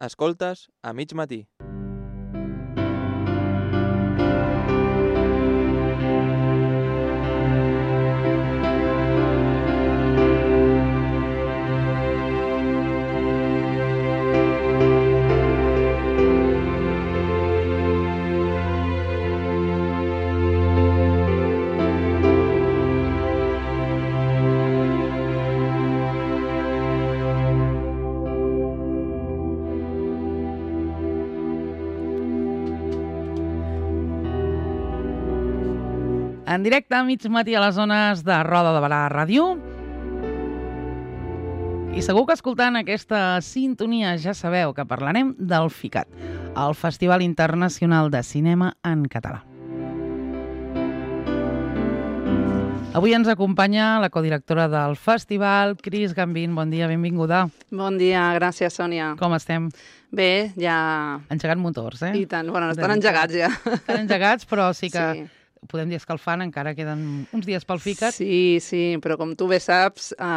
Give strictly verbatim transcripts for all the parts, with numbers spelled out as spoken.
Escoltes a mig matí. En directe a mig matí a les zones de Roda de Barà Ràdio. I segur que escoltant aquesta sintonia ja sabeu que parlarem del FICAT, el Festival Internacional de Cinema en Català. Avui ens acompanya la codirectora del festival, Cris Gambín. Bon dia, benvinguda. Bon dia, gràcies, Sònia. Com estem? Bé, ja... Engegant motors, eh? I tant, bueno, estan engegats ja. Estan engegats, però sí que... Sí. Podem dir escalfant, encara queden uns dies pel FICAT. Sí, sí, però com tu bé saps, eh,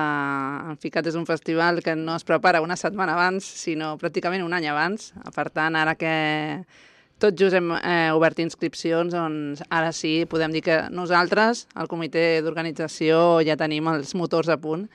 el FICAT és un festival que no es prepara una setmana abans, sinó pràcticament un any abans. Per tant, ara que tot just hem eh, obert inscripcions, doncs ara sí, podem dir que nosaltres, el comitè d'organització, ja tenim els motors a punt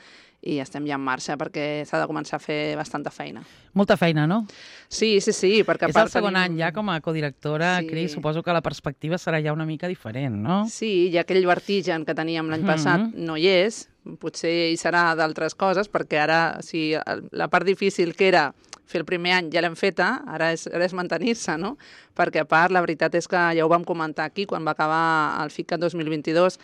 i estem ja en marxa perquè s'ha de començar a fer bastanta feina. Molta feina, no? Sí, sí, sí, perquè... És el segon tenim... any ja com a codirectora, Sí. Cris, suposo que la perspectiva serà ja una mica diferent, no? Sí, i aquell vertigen que teníem l'any passat Mhm. no hi és, potser hi serà d'altres coses, perquè ara, si la part difícil que era fer el primer any ja l'hem feta, ara és, ara és mantenir-se, no? Perquè a part, la veritat és que ja ho vam comentar aquí quan va acabar el FICAT dos mil vint-i-dos,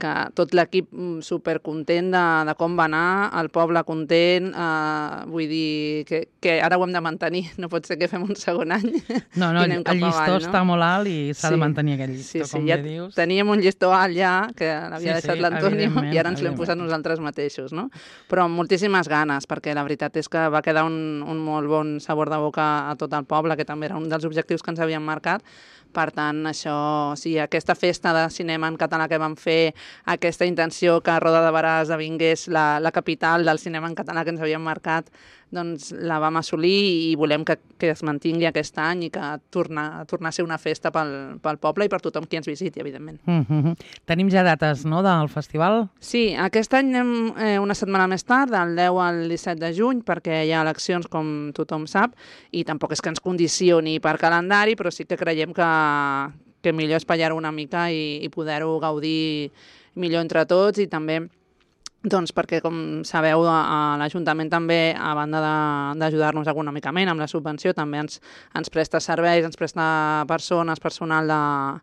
que tot l'equip supercontent de, de com va anar, el poble content, eh, vull dir que, que ara ho hem de mantenir, no pot ser que fem un segon any. No, no, i anem el cap llistó avall, està molt alt i s'ha Sí. de mantenir aquell llistó, Sí, sí, com ja bé dius. teníem un llistó alt ja, que l'havia Sí, deixat sí, l'Antonio, evidentment, i ara ens l'hem posat evidentment. nosaltres mateixos, no? Però amb moltíssimes ganes, perquè la veritat és que va quedar un, un molt bon sabor de boca a tot el poble, que també era un dels objectius que ens havíem marcat. Per tant, això, o sigui, aquesta festa de cinema en català que vam fer, aquesta intenció que Roda de Barà esdevingués la, la capital del cinema en català que ens havíem marcat, doncs la vam assolir i volem que, que es mantingui aquest any i que torna, torna a ser una festa pel, pel poble i per tothom qui ens visiti, evidentment. Mm -hmm. Tenim ja dates, no?, del festival? Sí, aquest any anem eh, una setmana més tard, del deu al disset de juny, perquè hi ha eleccions, com tothom sap, i tampoc és que ens condicioni per calendari, però sí que creiem que, que millor espatllar una mica i, i poder-ho gaudir millor entre tots i també doncs perquè, com sabeu, a, a l'Ajuntament també, a banda de- d'ajudar-nos econòmicament amb la subvenció, també ens, ens presta serveis, ens presta persones, personal de,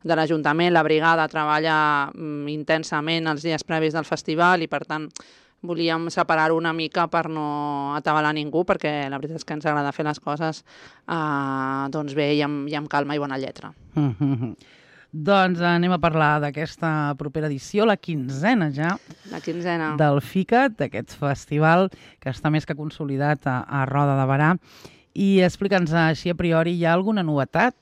de l'Ajuntament, la brigada treballa mm, intensament els dies previs del festival i, per tant, volíem separar-ho una mica per no atabalar ningú, perquè la veritat és que ens agrada fer les coses eh, doncs bé i amb, i amb calma i bona lletra. Mm -hmm. Doncs anem a parlar d'aquesta propera edició, la quinzena ja, La quinzena. del FICAT, d'aquest festival que està més que consolidat a, a Roda de Barà. I explica'ns així a priori, hi ha alguna novetat?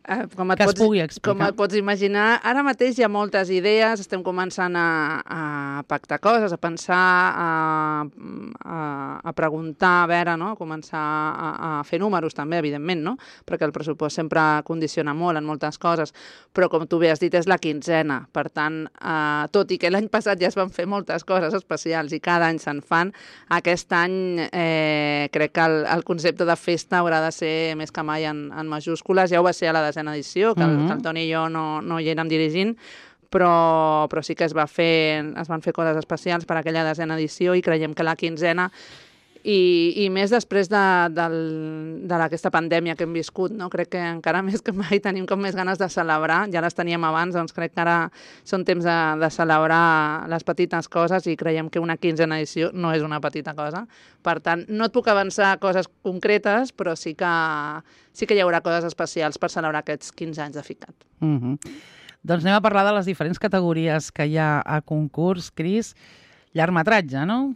Eh, com et Que es pots, pugui explicar. Com et pots imaginar, ara mateix hi ha moltes idees, estem començant a, a pactar coses, a pensar, a, a, a preguntar, a veure, no? A començar a, a fer números també, evidentment, no? Perquè el pressupost sempre condiciona molt en moltes coses, però com tu bé has dit, és la quinzena. Per tant, eh, tot i que l'any passat ja es van fer moltes coses especials i cada any se'n fan, aquest any eh, crec que el, el concepte de festa haurà de ser més que mai en, en majúscules. Ja ho va ser a la desena edició, que el, Mhm. que el Toni i jo no, no hi érem dirigint, però, però sí que es, va fer, es van fer coses especials per aquella desena edició i creiem que la quinzena i, i més després de, del- de aquesta pandèmia que hem viscut, no? Crec que encara més que mai tenim com més ganes de celebrar, ja les teníem abans, doncs crec que ara són temps de, de celebrar les petites coses i creiem que una quinzena edició no és una petita cosa. Per tant, no et puc avançar coses concretes, però sí que, sí que hi haurà coses especials per celebrar aquests quinze anys de FICAT. Mm -hmm. Doncs anem a parlar de les diferents categories que hi ha a concurs, Cris. Llargmetratge, no?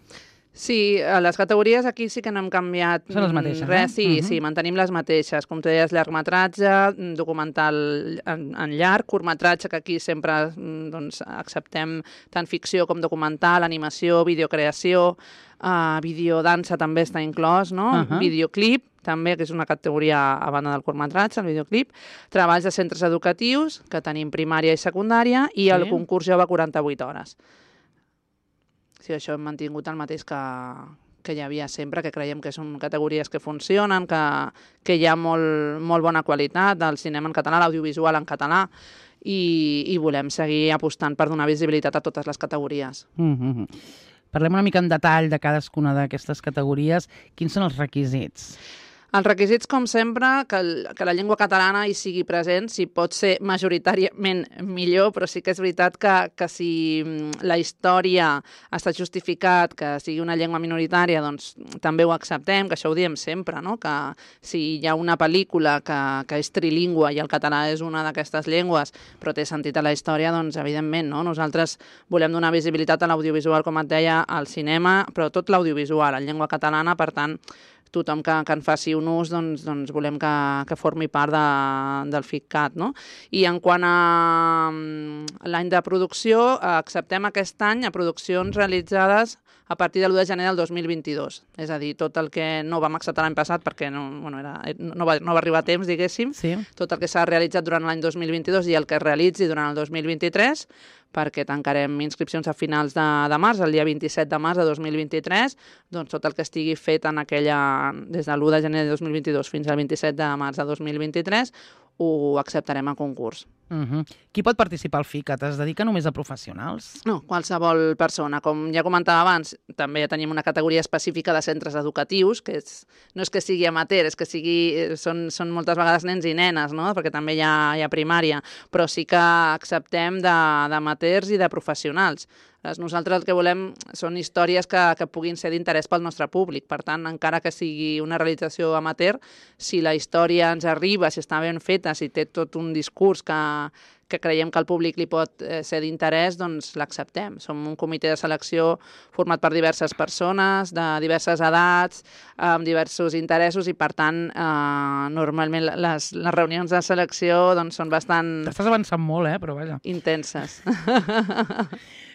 Sí, a les categories aquí sí que no hem canviat Són les mateixes, res, eh? sí, Mhm. sí, mantenim les mateixes. Com tu deies, llargmetratge, documental en, en llarg, curtmetratge, que aquí sempre mm, doncs, acceptem tant ficció com documental, animació, videocreació, uh, videodansa també està inclòs, no? Ahà. Videoclip, també, que és una categoria a banda del curtmetratge, el videoclip, treballs de centres educatius, que tenim primària i secundària, i el Sí. concurs jove quaranta-vuit hores. Sí, això hem mantingut el mateix que, que hi havia sempre, que creiem que són categories que funcionen, que, que hi ha molt, molt bona qualitat del cinema en català, l'audiovisual en català, i, i volem seguir apostant per donar visibilitat a totes les categories. Mhm. Parlem una mica en detall de cadascuna d'aquestes categories. Quins són els requisits? Els requisits, com sempre, que, el, que la llengua catalana hi sigui present, si pot ser majoritàriament millor, però sí que és veritat que, que si la història ha estat justificat, que sigui una llengua minoritària, doncs també ho acceptem, que això ho diem sempre, no? Que si hi ha una pel·lícula que, que és trilingüe i el català és una d'aquestes llengües, però té sentit a la història, doncs evidentment, no? Nosaltres volem donar visibilitat a l'audiovisual, com et deia, al cinema, però tot l'audiovisual en llengua catalana, per tant, tothom que, que en faci un ús, doncs, doncs volem que, que formi part de, del FICCAT, no? I en quant a l'any de producció, acceptem aquest any a produccions realitzades a partir de l'u de gener del dos mil vint-i-dos. És a dir, tot el que no vam acceptar l'any passat perquè no, bueno, era, no, va, no va arribar a temps, diguéssim, Sí. tot el que s'ha realitzat durant l'any dos mil vint-i-dos i el que es realitzi durant el dos mil vint-i-tres, perquè tancarem inscripcions a finals de, de març, el dia vint-i-set de març de dos mil vint-i-tres, doncs tot el que estigui fet en aquella, des de l'u de gener de dos mil vint-i-dos fins al vint-i-set de març de dos mil vint-i-tres, ho acceptarem a concurs. Uh-huh. Qui pot participar al FICCAT? Es dedica només a professionals? No, qualsevol persona. Com ja comentava abans, també ja tenim una categoria específica de centres educatius, que és, no és que sigui amateur, és que sigui, són, són moltes vegades nens i nenes, no? Perquè també hi ha, hi ha primària, però sí que acceptem d'amateurs i de professionals. Nosaltres el que volem són històries que, que puguin ser d'interès pel nostre públic. Per tant, encara que sigui una realització amateur, si la història ens arriba, si està ben feta, si té tot un discurs que, que creiem que al públic li pot eh, ser d'interès, doncs l'acceptem. Som un comitè de selecció format per diverses persones, de diverses edats, amb diversos interessos i, per tant, eh, normalment les, les reunions de selecció doncs, són bastant T'estàs avançant molt, eh? Però vaja. intenses.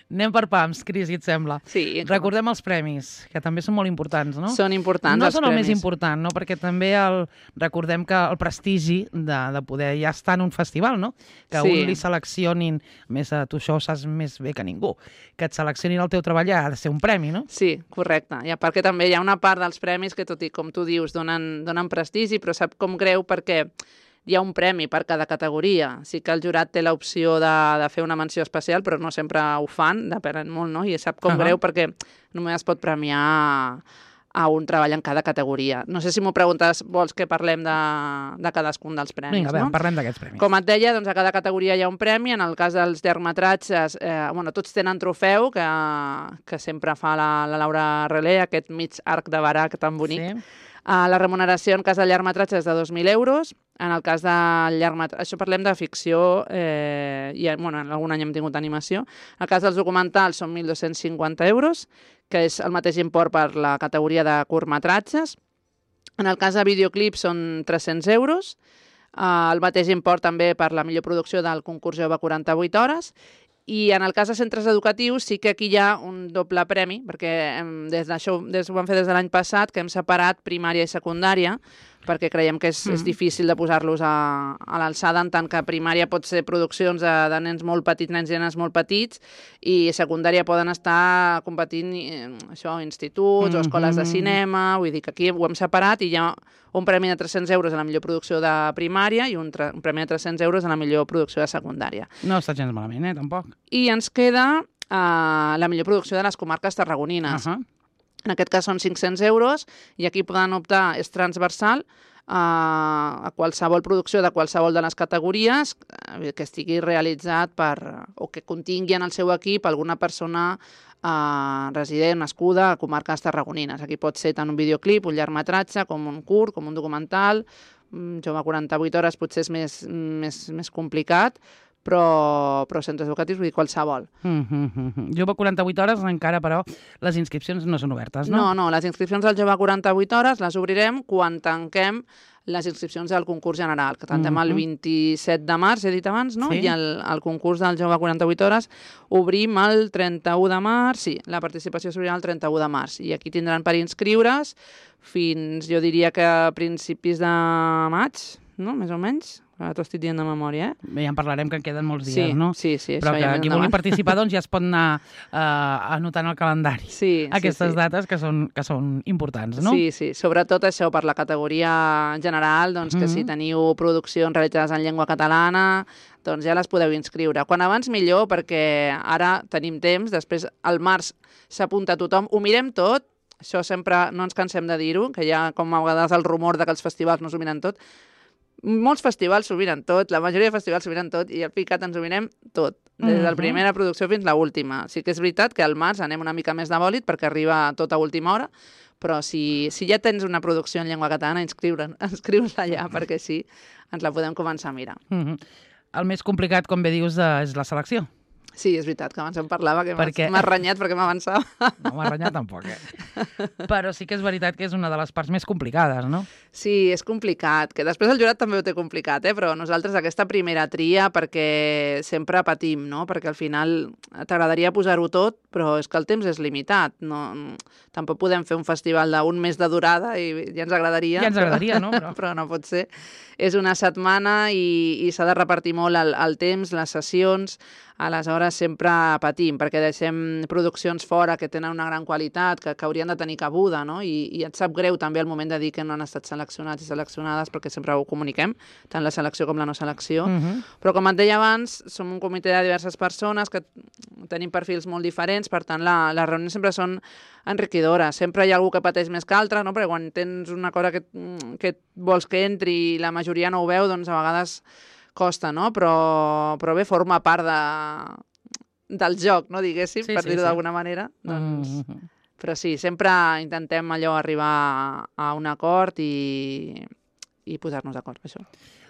Anem per pams, Cris, si et sembla. Sí, Recordem els premis, que també són molt importants, no? són importants no els són el premis. més important, no? Perquè també el, recordem que el prestigi de, de poder ja estar en un festival, no? Que Sí. un li seleccionin, a més a tu això ho saps més bé que ningú, que et seleccionin el teu treball ja ha de ser un premi, no? Sí, correcte. I perquè també hi ha una part dels premis que, tot i com tu dius, donen, donen prestigi, però sap com greu perquè hi ha un premi per cada categoria. Sí que el jurat té l'opció de, de fer una menció especial, però no sempre ho fan, depèn molt, no? I sap com Ahà. greu perquè només es pot premiar a un treball en cada categoria. No sé si m'ho preguntes, vols que parlem de, de cadascun dels premis, Vinga, bé, no? parlem d'aquests premis. Com et deia, doncs a cada categoria hi ha un premi. En el cas dels llargmetratges, eh, bueno, tots tenen trofeu, que, que sempre fa la, la Laura Relé, aquest mig arc de barac tan bonic. Sí. Uh, la remuneració en cas de llargmetratge és de dos mil euros. En el cas de llargmetratge... Això parlem de ficció eh, i bueno, en algun any hem tingut animació. En el cas dels documentals són mil dos-cents cinquanta euros, que és el mateix import per la categoria de curtmetratges. En el cas de videoclips són tres-cents euros. Uh, el mateix import també per la millor producció del concurs jove quaranta-vuit hores. I en el cas de centres educatius sí que aquí hi ha un doble premi, perquè hem, des d'això des, ho vam fer des de l'any passat, que hem separat primària i secundària, perquè creiem que és, mm. és difícil de posar-los a, a l'alçada, en tant que primària pot ser produccions de, de nens molt petits, nens i nenes molt petits, i secundària poden estar competint eh, això, instituts mm -hmm. o escoles de cinema, vull dir que aquí ho hem separat i hi ha un premi de tres-cents euros a la millor producció de primària i un, un premi de tres-cents euros a la millor producció de secundària. No està gens malament, eh, tampoc. I ens queda uh, la millor producció de les comarques tarragonines. Uh -huh. En aquest cas són cinc-cents euros i aquí poden optar, és transversal, uh, a qualsevol producció de qualsevol de les categories uh, que estigui realitzat per, o que contingui en el seu equip alguna persona uh, resident, nascuda a comarques tarragonines. Aquí pot ser tant un videoclip, un llargmetratge, com un curt, com un documental. Jove quaranta-vuit hores potser és més, més, més complicat, però, però centres educatius, vull dir qualsevol. Mm -hmm. Jove quaranta-vuit hores, encara, però, les inscripcions no són obertes, no? No, no, les inscripcions al Jove quaranta-vuit hores les obrirem quan tanquem les inscripcions del concurs general, que tanquem mm -hmm. el vint-i-set de març, he dit abans, no? Sí. I el, el concurs del Jove quaranta-vuit hores obrim el trenta-u de març, sí, la participació s'obrirà el trenta-u de març, i aquí tindran per inscriure's fins, jo diria que a principis de maig, no?, més o menys. Ara t'ho estic dient de memòria, eh? Bé, ja en parlarem, que en queden molts dies, sí, no? Sí, sí, Però això que ja qui vulgui participar, doncs, ja es pot anar uh, anotant al calendari. Sí, aquestes sí, sí. dates que són, que són importants, no? Sí, sí, sobretot això per la categoria general, doncs que mm -hmm. si teniu produccions realitzades en llengua catalana, doncs ja les podeu inscriure. Quan abans millor, perquè ara tenim temps, després al març s'apunta tothom, ho mirem tot, això sempre no ens cansem de dir-ho, que hi ha com a vegades el rumor de que els festivals no s'ho miren tot. Molts festivals s'ho miren tot, la majoria de festivals s'ho miren tot, i al Ficat ens ho mirem tot, des de la primera producció fins a l'última. Sí que és veritat que al març anem una mica més de bòlit perquè arriba tot a última hora, però si, si ja tens una producció en llengua catalana, inscriure'n, inscrius-la allà, perquè sí, ens la podem començar a mirar. Mm -hmm. El més complicat, com bé dius, és la selecció. Sí, és veritat, que abans em parlava, que perquè... m'has renyat perquè m'avançava. No m'ha renyat tampoc, eh? Però sí que és veritat que és una de les parts més complicades, no? Sí, és complicat, que després el jurat també ho té complicat, eh? Però nosaltres aquesta primera tria, perquè sempre patim, no? Perquè al final t'agradaria posar-ho tot, però és que el temps és limitat. No, tampoc podem fer un festival d'un mes de durada i ja ens agradaria. Ja ens agradaria, però, no? Però... però no pot ser. És una setmana i, i s'ha de repartir molt el, el temps, les sessions. Aleshores sempre patim, perquè deixem produccions fora que tenen una gran qualitat, que, que haurien de tenir cabuda, no? I, i et sap greu també el moment de dir que no han estat seleccionats i seleccionades, perquè sempre ho comuniquem, tant la selecció com la no selecció. Uh -huh. Però com et deia abans, som un comitè de diverses persones que tenim perfils molt diferents, per tant la, les reunions sempre són enriquidores. Sempre hi ha algú que pateix més que altre, no? Perquè quan tens una cosa que, que vols que entri i la majoria no ho veu, doncs a vegades costa, no? Però, però bé, forma part de, del joc, no, diguéssim, sí, per sí, dir-ho sí. d'alguna manera. Doncs... Mm -hmm. Però sí, sempre intentem allò arribar a un acord i, i posar-nos d'acord per això.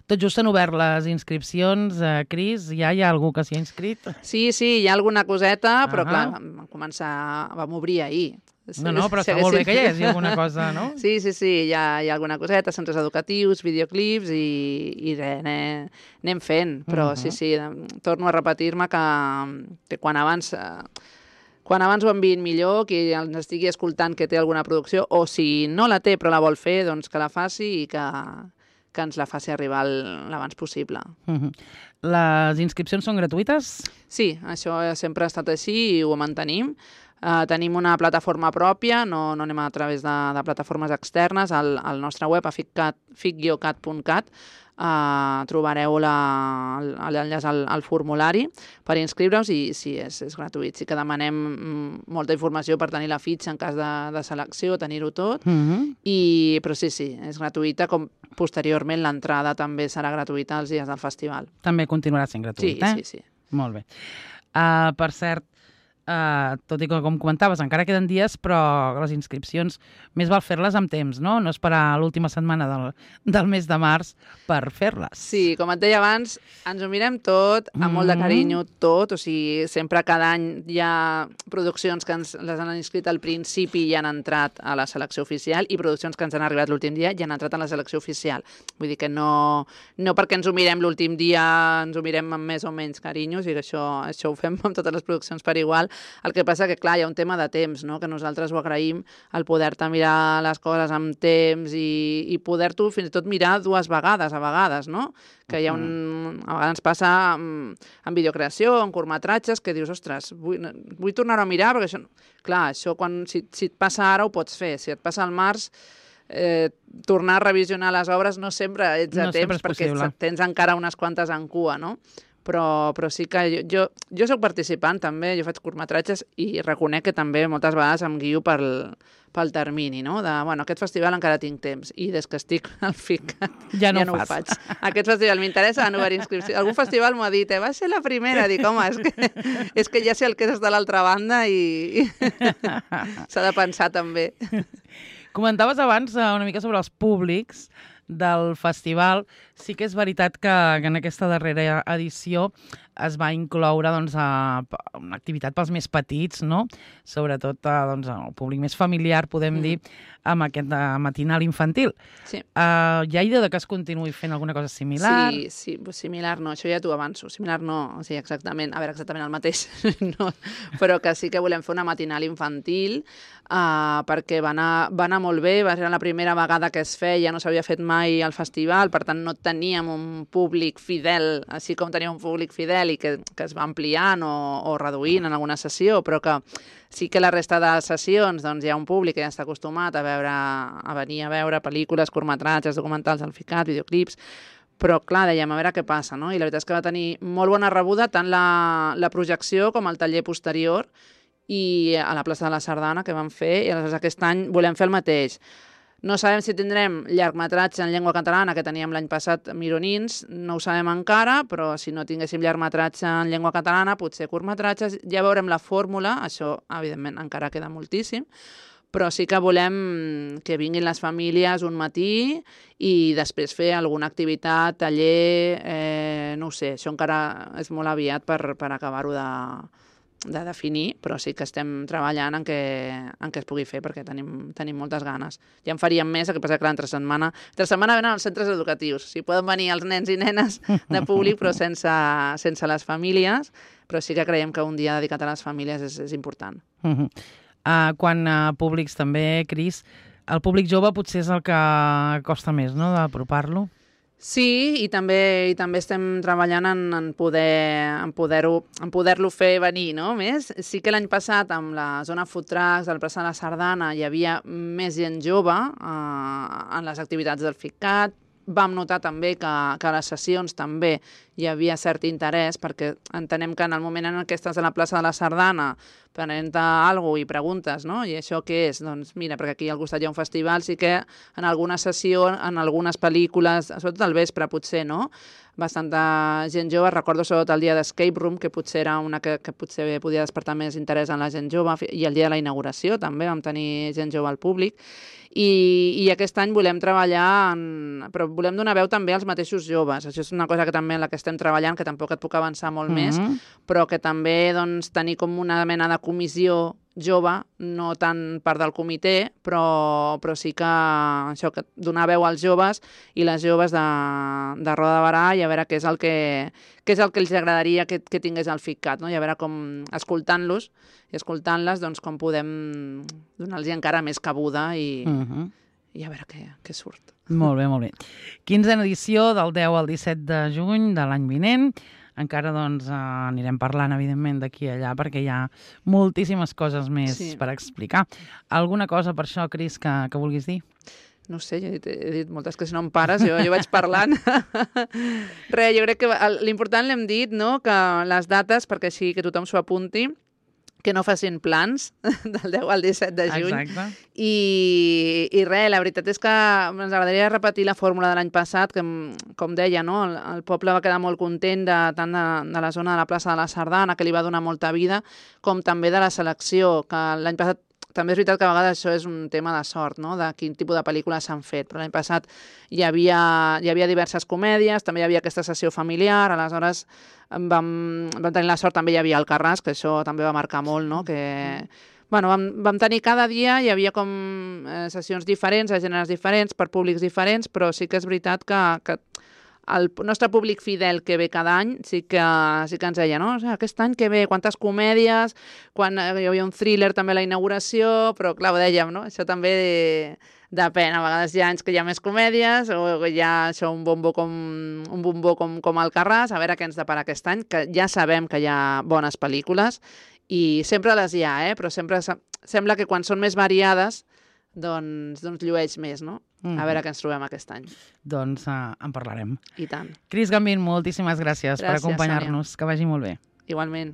Tot just han obert les inscripcions, eh, Cris, ja hi ha algú que s'hi ha inscrit? Sí, sí, hi ha alguna coseta, però uh -huh. clar, vam començar, vam obrir ahir. No, no, però està molt bé que hi hagi alguna cosa, no? Sí, sí, sí, hi ha, hi ha alguna coseta, centres educatius, videoclips i, i res, anem, anem fent. Però uh -huh. sí, sí, torno a repetir-me que, que quan abans... Quan abans ho enviïn millor, qui ens estigui escoltant que té alguna producció, o si no la té però la vol fer, doncs que la faci i que, que ens la faci arribar l'abans possible. Uh-huh. Les inscripcions són gratuïtes? Sí, això sempre ha estat així i ho mantenim. Uh, tenim una plataforma pròpia, no, no anem a través de, de plataformes externes. Al, al nostre web, a fic guió cat punt cat, Uh, trobareu l'enllaç al, al formulari per inscriure-us i sí, és, és gratuït. Sí que demanem molta informació per tenir la fitxa en cas de, de selecció, tenir-ho tot, uh-huh. i, però sí, sí, és gratuïta, com posteriorment l'entrada també serà gratuïta els dies del festival. També continuarà sent gratuït, sí, eh? Sí, sí, sí. Molt bé. Uh, per cert, Uh, tot i que, com comentaves, encara queden dies, però les inscripcions més val fer-les amb temps, no? No esperar l'última setmana del, del mes de març per fer-les. Sí, com et deia abans, ens ho mirem tot, amb mm. molt de carinyo, tot. O sigui, sempre cada any hi ha produccions que ens les han inscrit al principi i han entrat a la selecció oficial, i produccions que ens han arribat l'últim dia i han entrat a la selecció oficial. Vull dir que no, no perquè ens ho mirem l'últim dia ens ho mirem amb més o menys carinyo, o sigui que això, això ho fem amb totes les produccions per igual. El que passa que, clar, hi ha un tema de temps, no? Que nosaltres ho agraïm, el poder-te mirar les coses amb temps i, i poder-t'ho fins i tot mirar dues vegades, a vegades, no? Que hi ha un... A vegades ens passa en, en videocreació, en curtmetratges, que dius, ostres, vull, vull tornar-ho a mirar, perquè això... Clar, això quan, si, si et passa ara ho pots fer, si et passa al març, eh, tornar a revisionar les obres no sempre ets a no temps, perquè possible. Tens encara unes quantes en cua, no? Però, però sí que jo, jo, jo soc participant també, jo faig curtmetratges i reconec que també moltes vegades em guio pel, pel termini, no? De, bueno, aquest festival encara tinc temps i des que estic al Ficat ja no, ja no ho faig. Aquest festival m'interessa, han obert inscripció. Algun festival m'ho ha dit, eh, va ser la primera. Dic, home, és que, és que ja sé el que és de l'altra banda i, i s'ha de pensar també. Comentaves abans una mica sobre els públics. del festival. Sí que és veritat que, que en aquesta darrera edició es va incloure doncs, a, una activitat pels més petits, no? Sobretot a, doncs, al públic més familiar, podem mm. dir, amb aquest uh, matinal infantil. Sí. Uh, hi ha idea de que es continuï fent alguna cosa similar? Sí, sí, similar no, això ja t'ho avanço. Similar no, o sigui, exactament, a veure, exactament el mateix, no, però que sí que volem fer una matinal infantil uh, perquè va anar, va anar molt bé, va ser la primera vegada que es feia, no s'havia fet mai al festival, per tant no teníem un públic fidel, així com teníem un públic fidel i que, que es va ampliant o, o reduint en alguna sessió, però que sí que la resta de sessions doncs, hi ha un públic que ja està acostumat a veure, a venir a veure pel·lícules, curtmetratges, documentals al Ficat, videoclips, però clar, dèiem, a veure què passa, no? I la veritat és que va tenir molt bona rebuda tant la, la projecció com el taller posterior i a la plaça de la Sardana que vam fer, i aleshores aquest any volem fer el mateix. No sabem si tindrem llargmetratge en llengua catalana, que teníem l'any passat Mironins, no ho sabem encara, però si no tinguéssim llargmetratge en llengua catalana, potser curtmetratges, ja veurem la fórmula, això evidentment encara queda moltíssim, però sí que volem que vinguin les famílies un matí i després fer alguna activitat, taller, eh, no ho sé, això encara és molt aviat per, per acabar-ho de... de definir, però sí que estem treballant en què, en què es pugui fer perquè tenim, tenim moltes ganes. Ja en faríem més, el que passa que l'altra setmana... L'altra setmana venen els centres educatius. Si poden venir els nens i nenes de públic, però sense, sense les famílies, però sí que creiem que un dia dedicat a les famílies és, és important. Uh -huh. uh, quan a uh, públics també, Cris, el públic jove potser és el que costa més, no?, d'apropar-lo. Sí, i també i també estem treballant en, en poder en poder-ho en poder-lo fer venir, no? Més. Sí que l'any passat, amb la zona food trucks, del plaça de la Sardana, hi havia més gent jove eh, en les activitats del Ficat. Vam notar també que, que a les sessions també hi havia cert interès, perquè entenem que en el moment en què estàs a la plaça de la Sardana prenent-te alguna cosa i preguntes, no? I això què és? Doncs mira, perquè aquí al costat hi ha un festival, sí que en alguna sessió, en algunes pel·lícules, sobretot al vespre potser, no?, bastanta gent jove. Recordo sobretot el dia d'Escape Room, que potser era una que, que potser podia despertar més interès en la gent jove, i el dia de la inauguració també vam tenir gent jove al públic. I, i aquest any volem treballar, en, però volem donar veu també als mateixos joves. Això és una cosa que també en la que estem treballant, que tampoc et puc avançar molt mm-hmm. més, però que també doncs, tenir com una mena de comissió jove, no tant part del comitè, però, però sí que això, que donar veu als joves i les joves de, de Roda de Barà, i a veure què és el que, què és el que els agradaria que, que tingués el Ficat, no? I a veure com, escoltant-los i escoltant-les, doncs com podem donar-los encara més cabuda i, uh-huh. i a veure què, què surt. Molt bé, molt bé. quinzena edició del deu al disset de juny de l'any vinent. Encara doncs, eh, anirem parlant, evidentment, d'aquí a allà, perquè hi ha moltíssimes coses més sí. per explicar. Alguna cosa per això, Cris, que, que vulguis dir? No sé, jo he dit, he dit moltes que si no em pares, jo, jo vaig parlant. Res, jo crec que l'important l'hem dit, no?, que les dates, perquè així que tothom s'ho apunti, que no facin plans del deu al disset de juny. Exacte. I, i res, la veritat és que ens agradaria repetir la fórmula de l'any passat, que, com deia, no? el, el poble va quedar molt content de, tant de, de la zona de la plaça de la Sardana, que li va donar molta vida, com també de la selecció, que l'any passat també és veritat que a vegades això és un tema de sort, no?, de quin tipus de pel·lícules s'han fet, però l'any passat hi havia, hi havia diverses comèdies, també hi havia aquesta sessió familiar, aleshores vam, vam tenir la sort, també hi havia el Carràs, que això també va marcar molt, no?, que... Bueno, vam, vam tenir cada dia, hi havia com eh, sessions diferents, a gèneres diferents, per públics diferents, però sí que és veritat que, que el nostre públic fidel que ve cada any sí que, sí que ens deia, no? O sigui, aquest any que ve, quantes comèdies, quan hi havia un thriller també a la inauguració, però clar, ho dèiem, no? Això també de, depèn. A vegades hi ha anys que hi ha més comèdies o hi ha això, un bombó com, un bombó com, com el Carràs, a veure què ens depara aquest any, que ja sabem que hi ha bones pel·lícules i sempre les hi ha, eh? Però sempre sembla que quan són més variades doncs, doncs llueix més, no? Mm. A veure què ens trobem aquest any. Doncs uh, en parlarem. I tant. Cris Gambín, moltíssimes gràcies, gràcies per acompanyar-nos. Que vagi molt bé. Igualment.